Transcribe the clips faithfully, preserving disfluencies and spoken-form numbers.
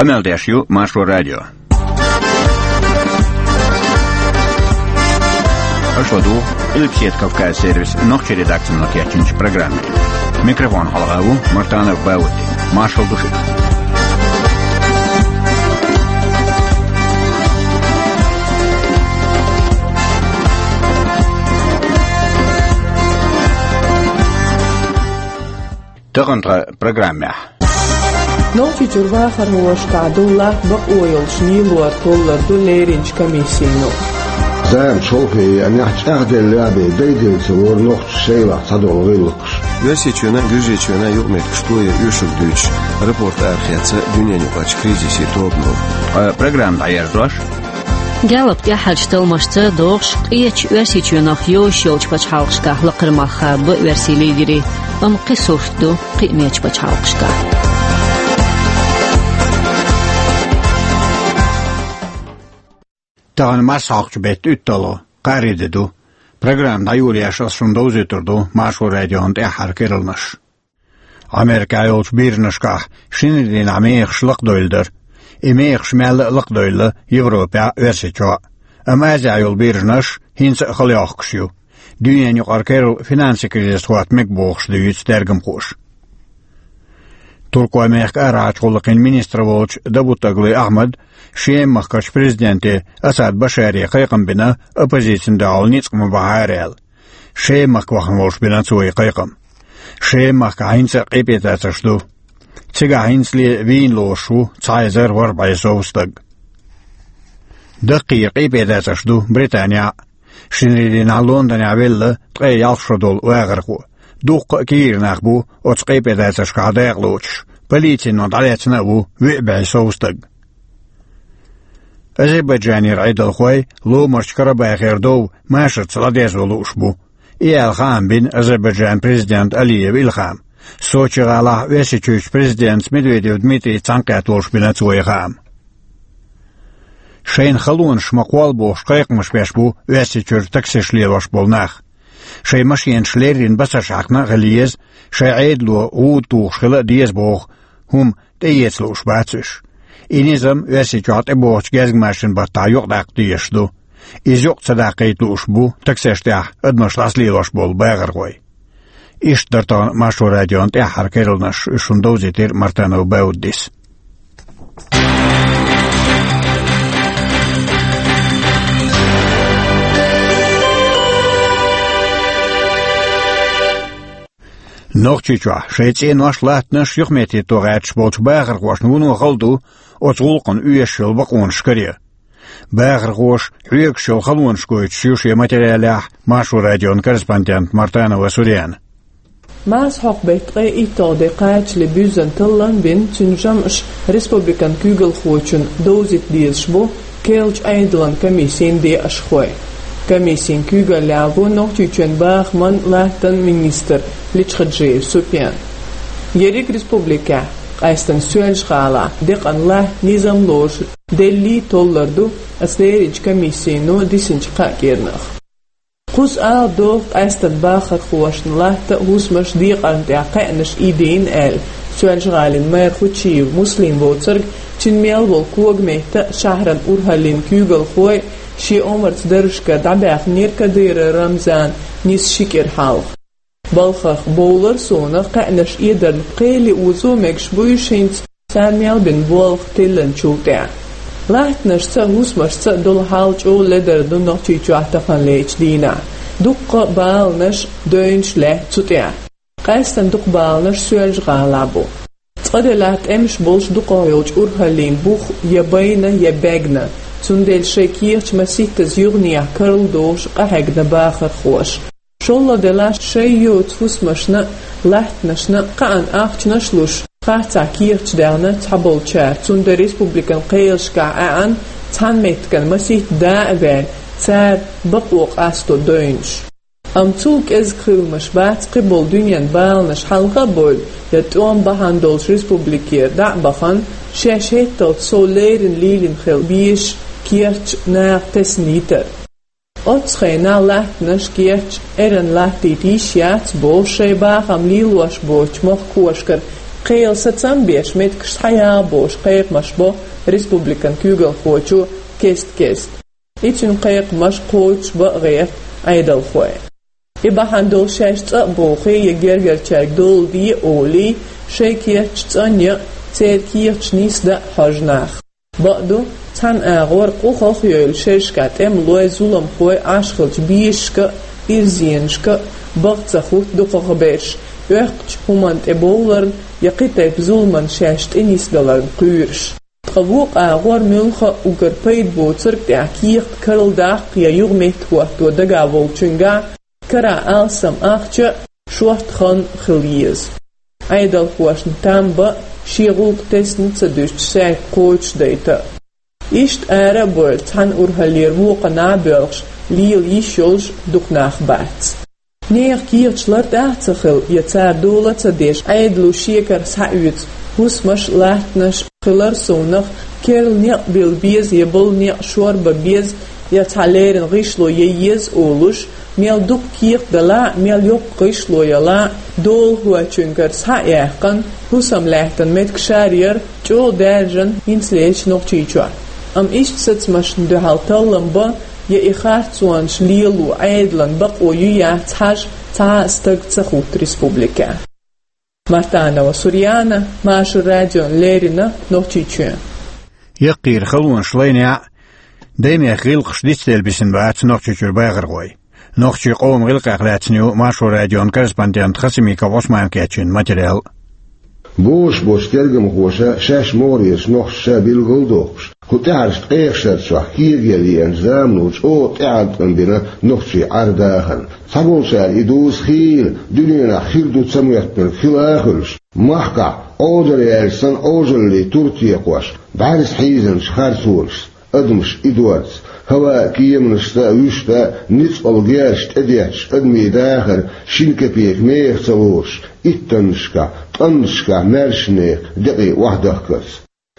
Къамел деш ю Маршо радио. Аша ладугӀу Къилбаседа Кавказ сервисан нохчийн редакцино кечйинчу программе. Микрофона хьалха ву Мартанов Баудди. Маршалла ду шуьга. Тахана тхан программехь. Нохчийчуьра бахархошкахь долу латта бакъо йолуш лелор толлур ду леринчу комиссино. Зама чолхе еанехь, чӀагӀделла а бен, дайделла ца лору нохчаша шайлахь цхьадолу гӀиллакхаш. Оьрсийчоьнан а, Гуьржийчоьнан а юкъаметтигаш тояр оьшург дуьйцуш, рапорт арахецна дуьненаюкъарчу кризисан тобано. Ткъа программа дӀаерзош, Гэллап тӀаьххьарчу талламашца догӀуш, къечу Оьрсийчоьнах йозуш йолчу пачхьалкхашкахь лакхара мах хаба оьрсийн лидерийн, амма кхин сурт ду кхиамечу пачхьалкхашкахь. Тахана марсхьокхучу беттан уьтталгӀа, кхаарин де ду. Программа дӀайолош ас шуна довзуьйтур ду Маршо радион тӀаьххьара керланаш. Америкехь йолчу биржанашкахь шинарин дийнахь мехаш лакхадевлла дара. И мехаш мелла а лакхадевлла Европехь а, Оьрсийчохь а. Амма Азехь йолу биржанаш хӀинца а хала йохкуш ю. Дуьненаюкъара керла финансийн кризис хӀотта мега бохуш дуьйцу тергамхоша. Туркойн мехкан арахьарчу гӀуллакхийн министр волчу Давутоглу Ахьмада Шема-махкарчу президенте Асад Башаре кхайкхам бина, оппозицина дуьхьал ницкъ ма бахьара аьлла. Шема-махка вахана волуш бина цо и кхайкхам. Шема-махкахь хӀинца а къепедацарш ду. Цигахь хӀинцале вийна лоруш ву цхьа эзар ворхӀ бӀе сов стаг. Даккхийра къепедацарш ду Британехь а. Шинарин дийнахь Лондонехь велла ткъе ялх шо долу вахархо. Дуккха а кегийра нах бу оцу къепедацаршкахь дакъалоцуш, полицино дӀалецна а ву виъ бӀе сов стаг. Азербайджанера Ӏедалхой Ломарчу Карабахера дов машарца ладезо лууш бу. И аьлла хаам бина Азербайджанан президента Алиев Илхама. Сочи-гӀалахь Оьрсийчуьрчу президентаца Медведев Дмитрийца цхьаьнакхетта волуш бина цо и хаам. Шайна халонаш ма кхолла бохуш кхайкхамаш беш бу Оьрсийчуьра таксиш лелош болу нах. Шайн машенаш леррина басарш хьаькхна а хила еза, шайн Ӏедало гӀуда тухуш хила а деза боху хӀума тӀеэца лууш бац уьш. И низам Оьрсийчохь тӀебогӀучу гезгмашин баттахь юкъадаккха дезаш ду. Иза юкъа ца даккхийта лууш бу таксеш тӀехь адамаш дӀасалелош болу бахархой. Иштта дара тахана Маршо радион тӀаьххьара керланаш, уьш шуна довзийтира Мартанов Бауддис. Нохчийчохь шайн цӀенош, латтанаш юхаметтахӀитто гӀерташ болчу бахархошна вуно хала ду оцу гӀуллакхана оьшуш йолу бакъонаш каре. Бахархоша хьоьгуш йолу халонаш гойтуш ю шен материалехь Маршо радион корреспондент Мартанова Сурена. Марсхьокху беттан ткъе итталгӀа де кхачале буьззина таллам бина, цуьнан жамӀаш республикан куьйгалхочунна довзийта дезаш бу керлачу Ӏедалан комиссин декъашхой. Комиссин куьйгаллехь ву Нохчийчоьнан бахаман, латтан министр Личхаджиев Супьян. Ерриг республикехь, къаьстина Соьлжа-ГӀалахь, декъана латта низам лоруш деллий толлур ду оцу леринчу комиссино дисинчу кхаа кӀиранах. Кхуза ала догӀу къаьстина бахархошна латта а, хӀусамаш а декъарна тӀехь кхаьънаш ийдина аьлла, Соьлжа-ГӀалин мэр Хучиев Муслим воцург, цуьнан мел волу когаметта а, шахьаран урхӀаллин куьйгалхой а шен омарца даржашкара дӀабаьхнера Кадыров Рамзан нийсса ши кӀира хьалха. Балхах бовлар суна, кхаьънаш эдарна кхел озо мегаш бу уьш хӀинца, царна мел бина болх тиллинчул тӀаьхьа. Латтанашца а, хӀусамашца а долу хьал чӀогӀа ледара ду Нохчийчохь таханлерчу дийнахь. Дуккха а баланаш, девнаш лаьтта цу тӀехь. Къаьстина дукха баланаш Соьлжа-ГӀалахь бу. Цкъа делахь тӀемаш болуш дукхах йолчу урхӀаллин бух я байна, я бегна. Цундела шайн кехаташ масийттаза юханехьа карладохуш къахьегна бахархоша. ШоллагӀа делахь шайн йоцу хӀусамашна а, латтанашна а кхаъна ахчанаш а луш, харцахь кехаташ даьхна цхьаболчара, цундела республикан кхелашкахь Ӏаьана цхьана меттиган масийтта да а ваьлла, цара бакъо къасто девнаш. Амма цул кӀезиг хиламаш бац кхиболу дуьненан баланаш хьалха а бевлла, я тӀом бахьана долуш республикера дӀа а бахана, шаьш хӀетталц сов леррина лелийна хила безаш керташ наха тесна йитар. Оццу хенахь латтанаш, керташ эрна латтийта йиш яц бохуш, шайн бахам лелош боцчу махкахошкара Кхел сацам беш меттигаш схьаягӀа бохуш кхайкхамаш бо республикан куьйгалхочо кест-кеста. И цуьнан кхайкхамаш кхочушбан гӀерта Ӏедалхой. И бахьана долуш шаьш цӀа а бохий, я гергарчаьрга дола де а олий, шайн кечдеш цӀанъян а, церан кехаташ нисдан а хьожу нах. Бакъду, цхьана агӀор къу хахайойла шерашкахь тӀемалой, зуламхой Ӏаш хиллачу бешашка а, ирзенашка а бакъ ца хӀутту дукхахберш, оьккхучу хӀуманна тӀе бовларна я кхин тайпа зуламна шаьш тӀе нисбаларна кхоьруш. Ткъа вукху агӀор муьлхха а уггар пайда боцург тӀехь кехат карладаккха я юха меттахӀотто дагахь волчуьнгахь карахь алсам ахча а, шорта хан а хила еза. Ӏедалхошна там бан а, шен гӀуллакх тесна ца дуьстуш, саьрг кхочушдайта а. Иштта ара а бевлла, цхьана урхаллера вукхунна а боьлхуш, лела йиш йолуш дукха нах бац. Нехан кехаташ лартӀехь а ца хилла, я цара дола а ца деш, Ӏедало шекара схьаоьцу хӀусамаш а, латтанаш а хилар совнах, керла некъ билла беза я болу некъ шорбан беза, я цхьа леррина гӀишло ян еза олуш, мел дукха кехат далахь а, мел йоккха гӀишло ялахь а, долахочуьнгара схьа а яьккхина, хӀусамлаьттан меттигаш а яра чӀогӀа даьржина хӀинцалерчу Нохчийчохь. Амма иштта сацамашна дуьхьал таллам бан я и харцонаш лело Ӏедалан бакъо ю яц хьажа цхьа а стаг ца хӀутту республикехь. Мартанова Сурьяна, Маршо радиона леррина, Нохчийчоь. Яккхийра халонаш лайнехь а, даймехкан гӀиллакхаш дицделла бисина бац Нохчийчуьра бахархой. Нохчийн къоман гӀиллакхех лаьцна ю Маршо радион корреспондента Хасимиков Ӏусмана кечйина материал. Бозуш болчу тергамхоша шаьш могӀарерчу нохчаша билгалдоккхуш, кху тӀаьхьарчу ткъех шарчохь кегийрхой лиъначу замано чӀогӀа тӀеӀаткъам бина нохчийн Ӏар-дахарна. Цхьаболчара и дуза хийла дуьненахь хир ду ца моьттинарг хила а хуьлуш, махкахь Ӏодар яьлча санна Ӏожаллин тур текхош, бӀаьрса хьийзинчу харцонашца, адамаш идорца, хӀаваан кеманашца а, вуьшта а ницкъала герзаш тӀедетташ адамийн дахар шина кепек меха ца лоруш, иттаннашкахь, кӀанташкахь маьршачу нехан декъий охьадахкарца.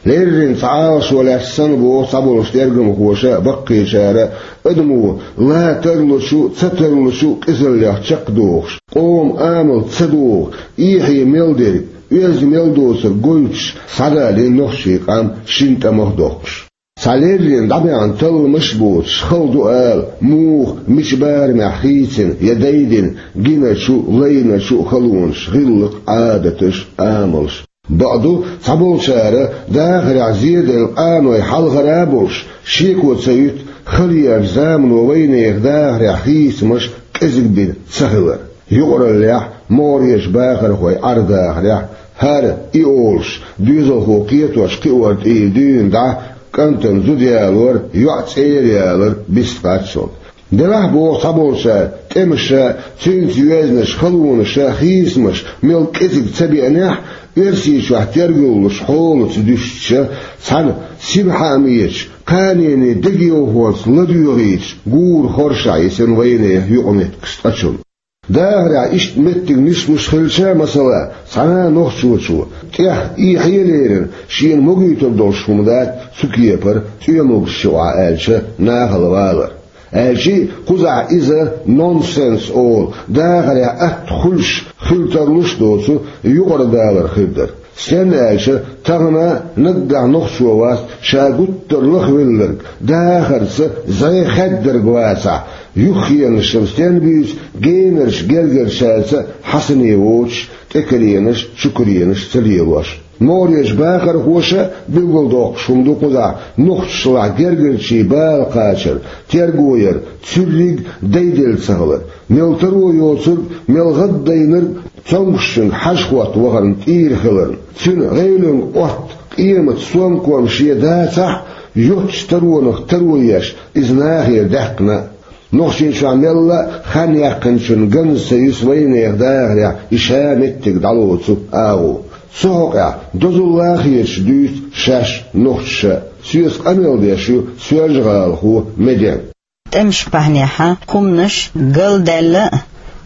Леррина цхьа Ӏалашо лаьцна санна, боху цхьаболчу тергамхоша а, баккхийчара а, адамо ла тарлучу а, ца тарлучу а къизаллех чекхдохуш, къоман амал ца догӀу, эхье мел дерг, оьзда мел доцург гойтуш, схьадалийна нохчийн къам шина тӀамах а доккхуш. Цхьа леррина дӀабаьхьна талламаш а боцуш, хала ду ала, муха, мича барамехь хийцина я дайдина гиначу а, лайначу а халонаш, гӀиллакх, Ӏадаташ, амалш. Бакъду, цхьаболчара дахарехь зеделла къаной хьалхара а болуш, шеко ца юьту хала еанчу замано вайнехан дахарехь хийцамаш кӀезиг бина ца хилар. Юкъараллехь, могӀарерчу бахархойн Ӏар-дахарехь, хӀара, и олуш, доьзалхо кхетош кхиор тӀера дуьйна дӀа, кӀантана зуда ялор, йоӀ цӀера ялар бистхаччалц. Делахь, боху цхьаболчара, тӀемаша, цуьнца йоьзначу халонаша хийцамаш мел кӀезиг ца беанехь а, Оьрсийчохь тергаллуш хьолаца дуьстича, цхьана синхаамечу, кханенан дегайовхонца ладоьгӀуьйтуш, гура хорша йисина вайнехан юкъаметтигаш цкъачунна. Дахарехь иштта меттиг нислуш хилча, масала, цхьана а нохчочо, тӀех эхье а лерина, шена могуьйтур долуш хӀума дац цу кепара цӀоь могуш чу охьа аьлча, нахала валар. Аьлча а, кхузахь иза нонсенс олу, дахарехь атта хуьлуш, хила тарлуш а доцу юкъара далар хир дара. Стенна аьлча, тахана а наггахь нохчо вац ша гуттар а лахвелларг, дахарца зӀе хаддарг вацахь, юххенашна стенна буьйцу генарчу гергарчаьрца хьасане воцуш, тӀекаренаш, чукаренаш ца лелош. МогӀарерчу бахархоша а билгалдоккхуш хӀума ду кхузахь нохчашлахь гергарчийн бала кхачар, терго яр, цуьрриг дайделла ца хилар, мел таро йоцург, мел гӀаддайнарг цомгушчуьнга хьажа-хӀотта вахарна тӀера хиларна, цуьнан гӀевлинг, Ӏотта, къематан сомком шен дацахь а, йоццачу таронах таро еш, иза нахера даьккхина а. Нохчийчохь мелла а хан яьккхинчун ганза ца юьсу вайнехан дахарехь и ша меттиг дӀалоцу агӀо. Цу хьокъехь дозалла а хеташ дуьйцу шаьш нохчаша. Соьца къамел деш ю соьлжа-гӀалахо Меден. ТӀемаш бахьанехьа хӀуманаш галдаьлла а,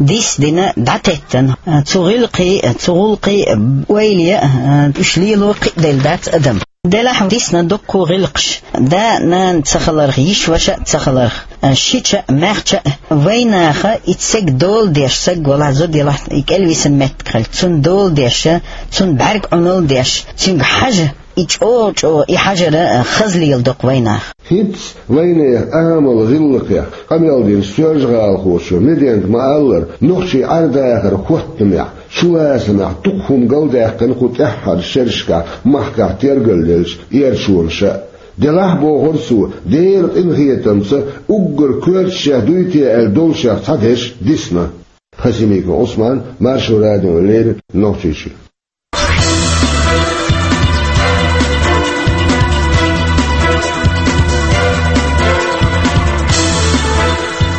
дис а дина дӀатеттина, цу гӀиллакхий а, цу гӀуллакхий а ойла ян а, уьш лело кхиаделла дац адам. Делахь дисна дуккха гӀиллакхаш, да-нана ца хиларх, йиша-ваша а ца хиларх, Шича, маьхча, вайнаха и цег дола деш, саг валахь, зуда елахь, и кӀелвисан меттиг хилча, цунна дола деш, цунна бӀарг Ӏунал деш, цуьнга хьажа, и чӀогӀа-чӀогӀа, и хьажара хаза леладоккху вайнаха. ХӀинца вайнех Ӏамал гӀиллакхех къамел дина соьлжагӀалахочо Меденга ма-аллара, нохчий Ӏер-дахар хӀоттамехь, чулацамехь дукха хӀума галдаьккхина кху тӀаьххьарчу шерашкахь махкахь тергаллелча эрчонаша а. Делахь, бохура цо, Делан къинхетамца уггар коьртачех дуй те аьлла долчех цхьа дешна дисна. Хасимиков Ӏусман, Маршо радиона леррина, Нохчийчоь.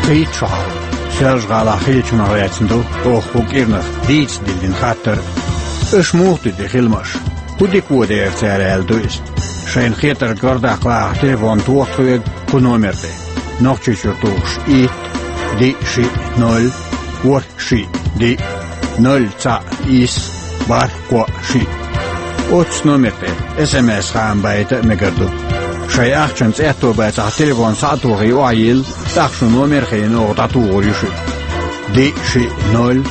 Кхеччахьа, Соьлжа-ГӀалахь хиллачунах лаьцна ду оха кху кӀирнах дийца диллина хаттар. Аша муха дуьту и хиламаш? ХӀун дика воьду-те цара, аьлла ду иза. Шайна хетарг гардаккха лаахь, телефон тоха тхоьга кху номер тӀе. Нохчийчуьра тухуш: итт, диъ, шиъ, ноль, ворхӀ, шиъ, диъ, ноль, цхьаъ, исс, бархӀ, кхоъ, шиъ. Оццу номер тӀе СМС-хаам байта а мегар ду. Шайн ахчанца аьтто бацахь, телефон схьа а тохий, охьайилла, тӀаккха шун номер а хилийна, оха дӀатухур ю шуьга. Диъ, шиъ, ноль,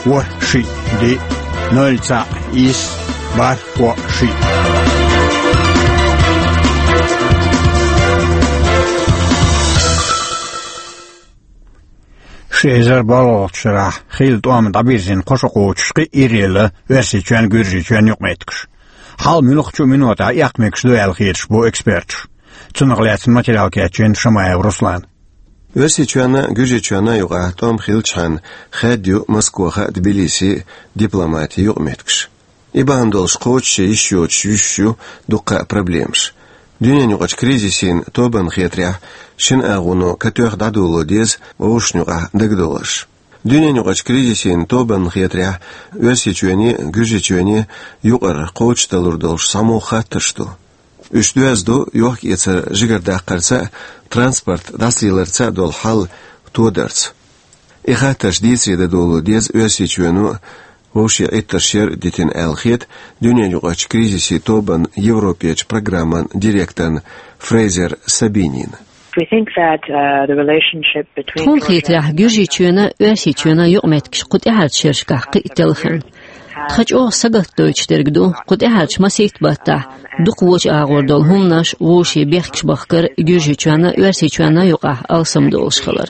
ворхӀ, шиъ, диъ, ноль, цхьаъ, исс, бархӀ, кхоъ, шиъ. Ши эзар бархӀалгӀачу шарахь хилла тӀом дӀабирзина кхо шо кхочуш кхин а иръелла Оьрсийчоьнан, Гуьржийчоьнан юкъаметтигаш. Хьал муьлххачу а минотехь эккха мегаш ду аьлла хеташ бу эксперташ. Цунах лаьцна материал кечйина Шамаев Руслана. Оьрсийчоьнна а, Гуьржийчоьнна а юкъахь тӀом хиллачхьана, хаьдда ю Москоха а, Тбилиси а дипломатийн юкъаметтигаш. И бахьана долуш кхочуш я йиш йоцуш юьсуш ю дуккха а проблемаш. Дуьненаюкъарчу кризисийн тобанна хетарехь, шина агӀоно катоьхна дӀадоло деза вовшашна юкъахь дагадовларш. Дуьненаюкъарчу кризисийн тобанна хетарехь, Оьрсийчоьне а, Гуьржийчоьне а юкъара кхочушдалур долуш цхьамогӀа хаттарш ду. Уьш доьзна ду йохк-эцар жигардаккхарца а, транспорт дӀасалеларца а долу хьал тодарца. И хаттарш дийцаре дан доло деза Оьрсийчоьно а, вовшийн Ӏиттарш яра дитина аьлла хета дуьненаюкъарчу кризисийн тобанан Европерчу программан директорна Фрейзер Сабинина. We think that, uh, the relationship between Тхуна хетарехь, Гуьржийчоьнан а, Оьрсийчоьнан а юкъаметтигаш кху тӀаьхьарчу шерашкахь кхин а телхина. Тхан чӀогӀа сагатдойтуш дерг ду, кху тӀаьхьарчу масийтта баттахь дукха вочу агӀор долу хӀуманаш вовшийн бехкаш бахкар Гуьржийчоьнна а, Оьрсийчоьнна а юкъахь алсамдолуш хилар.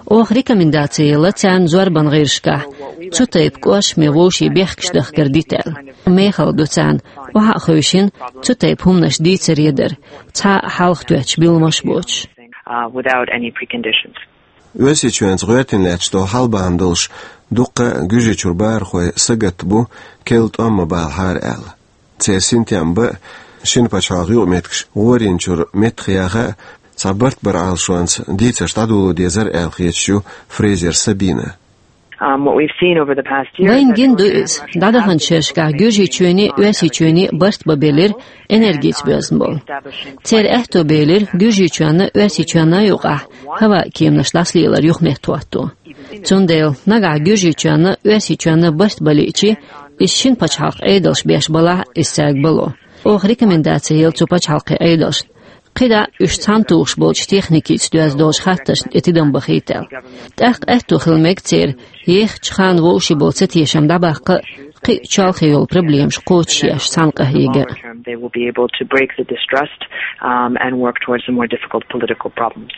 Оха рекомендаци елла царна зорбан гӀирсашкахь цу тайпа кӀоршаме вовшийн бехкаш дахкар дита аьлла. Мехала ду царна, охьа а хевшина, цу тайпа хӀуманаш дийцаре дар, цхьа а хьалха тоьттуш билламаш боцуш. Uh, without any preconditions. Оьрсийчоьнца гӀоьртина лаьтташ долу хьал бахьана долуш дуккха а Гуьржийчуьра бахархой сагатта бу, керла тӀом ма балахьара аьлла. Церан синтем бан а, шина пачхьалкхан юкъаметтигаш гӀорийначуьра меттахъяха а, цхьа барт баран Ӏалашонца дийцарш дӀадоло дезара аьлла хеташ ю Фрейзер Сабина. Um, what we've seen over the past year is Вайна that гина ду Georgia and иза. Russia have ДӀадаханчу шерашкахь Гуьржийчоьнний а, Оьрсийчоьнний а барт бан белира энергица боьзна болу. Церан аьтто белира Гуьржийчоьнна а, Оьрсийчоьнна а юкъахь хӀаваан кеманаш дӀасалелар юхаметтахӀотто. Цундела нагахь Гуьржийчоьнна а, Оьрсийчоьнна а барт бан лиъча, иза шина пачхьалкхан Ӏедалша беш балахь а, иза цаьрга бало. Оха рекомендаци елла цу пачхьалкхийн Ӏедалшна, кхидӀа уьш цхьаьна тухуш болчу техникица доьзна долчу хаттаршна тӀе тидам бахийта аьлла. ТӀаккха аьтто хила мега церан ехачу ханна вовшийн болу цатешам дӀабаккха а, кхин а чолхе йолу проблемаш кхочушъеш цхьаьна къахьега а. They will be able to break the distrust, um, and work towards the more difficult political problems.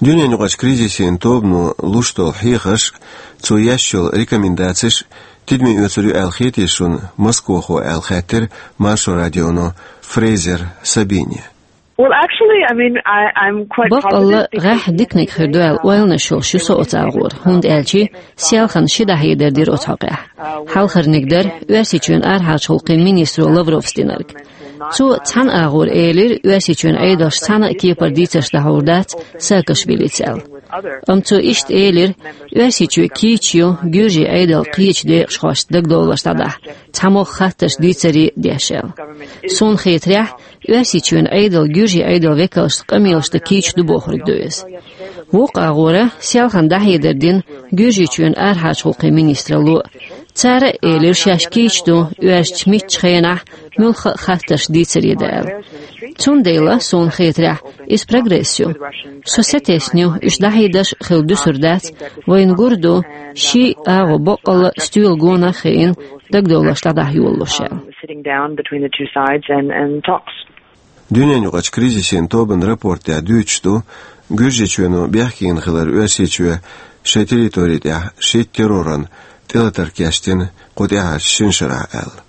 Дуьненаюкъарчу кризисийн тобано луш долу хьехарш а, цо еш йолу рекомендацеш а тидаме оьцур ю аьлла хетий шуна Москохо аьлла хаьттира Маршо радионо Фрейзер Сабине. Well, actually, I mean, I, I'm quite Баккъалла, positive. ГӀеххьа диканиг хир ду аьлла ойланаш йолуш ю со оцу агӀора, хӀунда аьлча селхана ши дӀахьедар дира оцу хьокъехь. Хьалхарниг дара Оьрсийчоьнан арахьарчу гӀуллакхийн министро Лавровс динарг. Цо цхьана агӀора элира, Оьрсийчоьнан Ӏедалша цхьана а кепара дийцарш дӀахьур дац Саакашвилица аьлла. Амма цо иштта элира, Оьрсийчоь кийча ю гуьржийн Ӏедал кхечу декъашхошца дагадовларш дӀадахьа, цхьамогӀа хаттарш дийцаре а деш аьлла. Суна хетарехь, Оьрсийчоьнан Ӏедал гуьржийн Ӏедалан векалшца къамелаш дан кийча ду бохург ду иза. Вукху агӀора селхана дӀахьедар дина Гуьржийчоьнан арахьарчу гӀуллакхийн министралло а. Цара а элира, шаьш кийча ду оьрсича мичча хенахь муьлхха а хаттарш дийцаре дан аьлла. Цундела, суна хетарехь, иза прогресс ю. Со сатесна ю, уьш дӀахьедеш хила дуьсур дац, вайна гур ду, ши агӀо боккъалла стоьла гонах а хиъна, дагадовларш дӀадахьа йолалуш аьлла. Дуьненаюкъарчу кризисийн тобанан рапортехь дуьйцуш ду, Гуьржийчоьно бехкийна хилар Оьрсийчоь шайн территори тӀехь шийтта терроран тӀелатар кечдина кху тӀаьхьарчу шина шарахь аьлла.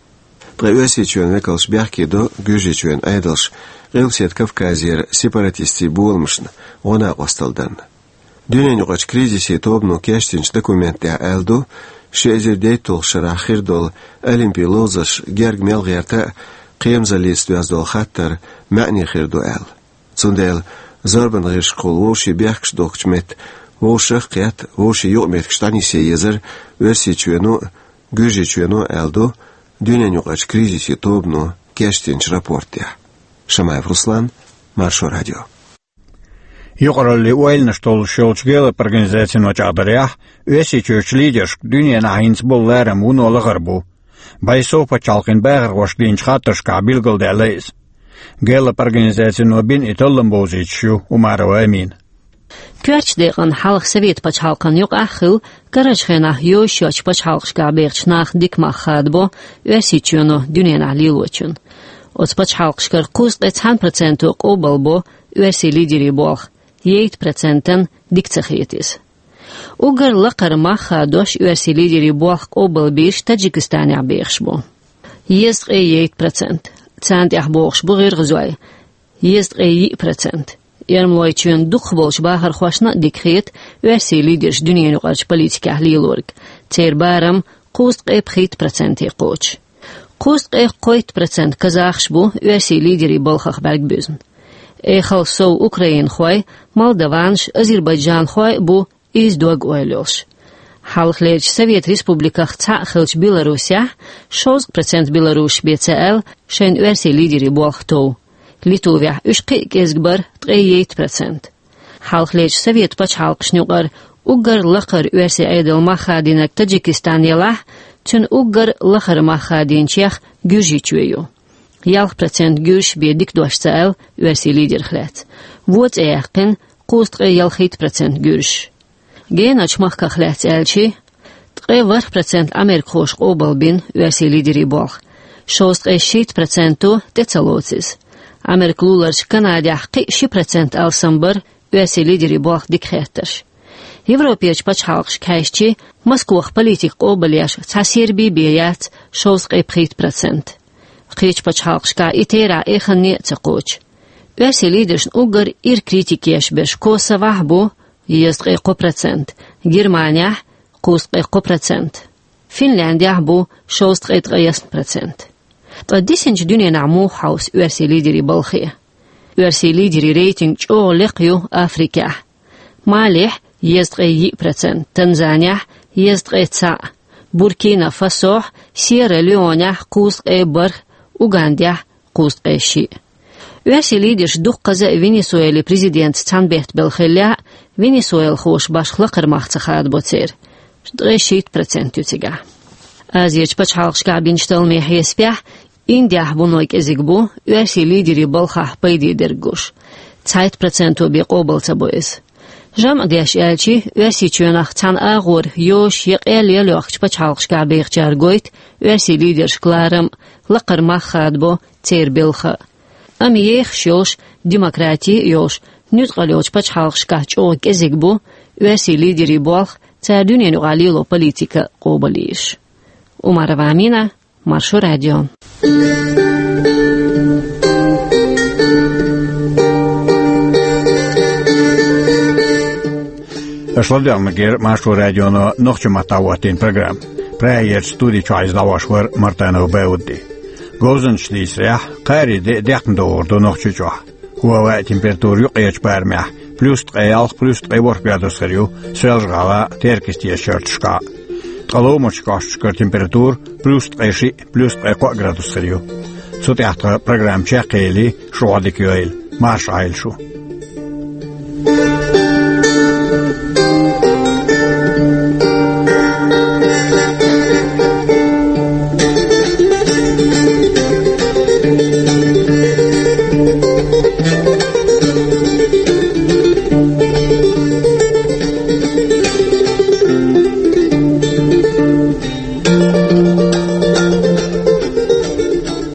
Ткъа Оьрсийчоьнан векалш бехке до Гуьржийчоьнан Ӏедалш Къилбаседа Кавказера сепаратистийн боламашна гӀо-накъостал дарна. Дуьненаюкъарчу кризисийн тобано кечдинчу документехь аьлла ду, ши эзар дейтталгӀачу шарахь хир долу Олимпийн ловзарш герга мел гӀерта а, кхерамзаллица доьзна долу хаттар маьӀне хир ду аьлла. Цундела зорбанан гӀирсашкахула вовшийн бехкаш дохкучу метта вовшах а кхетта, вовшийн юкъаметтигаш дӀанисъян езара Оьрсийчоьно а, Гуьржийчоьно а, аьлла ду Дуьненаюкъарчу кризисийн тобано кечдинчу рапортехь. Шамаев Руслан, Маршо радио. Юкъараллин ойланаш толлуш йолчу Гэллап организацино чӀагӀдарехь, Оьрсийчуьрчу лидершка дуьненахь хӀинца болу ларам вуно лахара бу. Байтин-Сован пачхьалкхийн бахархошка динчу хаттаршкахь билгалдаьлла иза. Гэллап организацино бина и таллам бовзуьйтуш ю Умарова Амина. Коьртачу декъана хьалха Совет пачхьалкхан юкъахь а хилла, карарчу хенахь йозуш йоцчу пачхьалкхашкахь бехачу наха дика мах хадабо Оьрсийчоьно дуьненахь лелочун. Оцу пачхьалкхашкара кхузткъе цхьана проценто къобалбо оьрсийн лидерийн болх, ейтта процентан дика ца хета иза. Уггар лакхара мах хадош оьрсийн лидерийн болх къобалбийраш Таджикистанехь бехаш бу. Дезткъе ейтта процент. Царна тӀехь бохуш бу гӀиргӀазой, дезткъе йиъ процент. Эрмалойчоьнан дукхахболчу бахархошна а дика хета оьрсийн лидерш дуьненаюкъарчу политикехь лелориг. Церан барам кхузткъе пхийтта проценте кхочуш. Кхузткъе кхойтта процент казахаш бу оьрсийн лидерийн балхах бӀаьрг буьзна. Эхалла сов украинхой, молдаванаш, азербайджанхой а бу иза дог-ойла йолуш. Хьалхалерчу Совет республиках цхьаъ хиллачу Беларусехь шовзткъа процент беларусаш бен ца аьлла шайна оьрсийн лидерийн болх тов. Литвехь уьш кхин а кӀезиг бара, ткъе ейтта процент. Хьалхалерчу Совет пачхьалкхашна юкъара уггар лакхара оьрсийн Ӏедалан мах хадийнарг Таджикистан елахь, цуьнан уггар лахара мах хадийначех Гуьржийчоь ю. Ялх процент гуьржаш бен дика дош ца аьлла оьрсийн лидерах лаьцна. Вон цӀе яьккхина кхузткъе ялхийтта процент гуьржаш. Генарчу махках лаьцна аьлча, ткъе ворхӀ процент америкахоша къобалбина оьрсийн лидерийн болх. Шовзткъе шийтта проценто тӀе ца лоцу иза. Америка луларчу Канадехь кхин а ши процент алсам бара оьрсийн лидерийн болх дика хеттарш. Европерчу пачхьалкхашка хьаьжча, Москвахь политика къобалъеш цхьа Серби бен яц, шовзткъе пхийтта процент. Кхечу пачхьалкхашкахь и терахь эханне а ца кхочу. Оьрсийн лидершна уггар ира критика еш берш Косовохь бу, дезткъе кхо процент, Германехь, кхузткъе кхо процент, Финляндехь бу, шовзткъе ткъаесна процент. Ткъа дисинчу дуьненахь муха хьовса оьрсийн лидерийн балхе? Оьрсийн лидерийн рейтинг чӀогӀа лекха ю Африкехь. Малехь, дезткъе йиъ процент, Танзанехь, дезткъе цхьаъ, Буркина-Фасохь, Сьерра-Леонехь, кхузткъе бархӀ, Угандехь, кхузткъе шиъ. Оьрсийн лидерш дуккхаза а Венесуэлийн президентца цхьаьна беттабелла хиллехь а, венесуэлхоша башха лакхара мах ца хадабо церан, ткъе шийтта процент ю цигахь. Азерчу пачхьалкхашкахь бинчу талламийн хьесапехь, Индехь вуно кӀезиг бу оьрсийн лидерийн балхахь пайде дерг гуш. Цхьайтта проценто бен къобал ца бо иза. ЖамӀ деш аьлча, Оьрсийчоьнах цхьана агӀор йозуш я къел я лохкучу пачхьалкхашкахь бехачара гойту оьрсийн лидершка ларам а, лакхара мах хадабо церан белха а. Амма ехаш йолуш, демократи а йолуш, нуьцкъала йолчу пачхьалкхашкахь чӀогӀа кӀезиг бу оьрсийн лидерийн болх, цара дуьненаюкъахь лело политика къобалйеш. Умарова Амина, Маршо радио. Аша ладоьгӀна мегар Маршо радионо нохчийн маттахь хӀоттийна программа. Прагерчу студи чохь иза дӀахьош вара Мартанов Баудди. Говзанчаш дийцарехь, кхаари де а декхна догӀур ду Нохчийчохь. ХӀоттийна температура юккъерчу барамехь плюс ткъе ялх, плюс ткъе ворхӀ градус хир ю Соьлжа-ГӀалахь а, Теркйистера шарташкахь а. Ткъа ломачу кӀошташкара температура плюс ткъе шиъ, плюс ткъе кхоъ градус хир ю. Цу тӀехь тхан программа чекхъели, шу Ӏодика йойла, марша Ӏойла шу.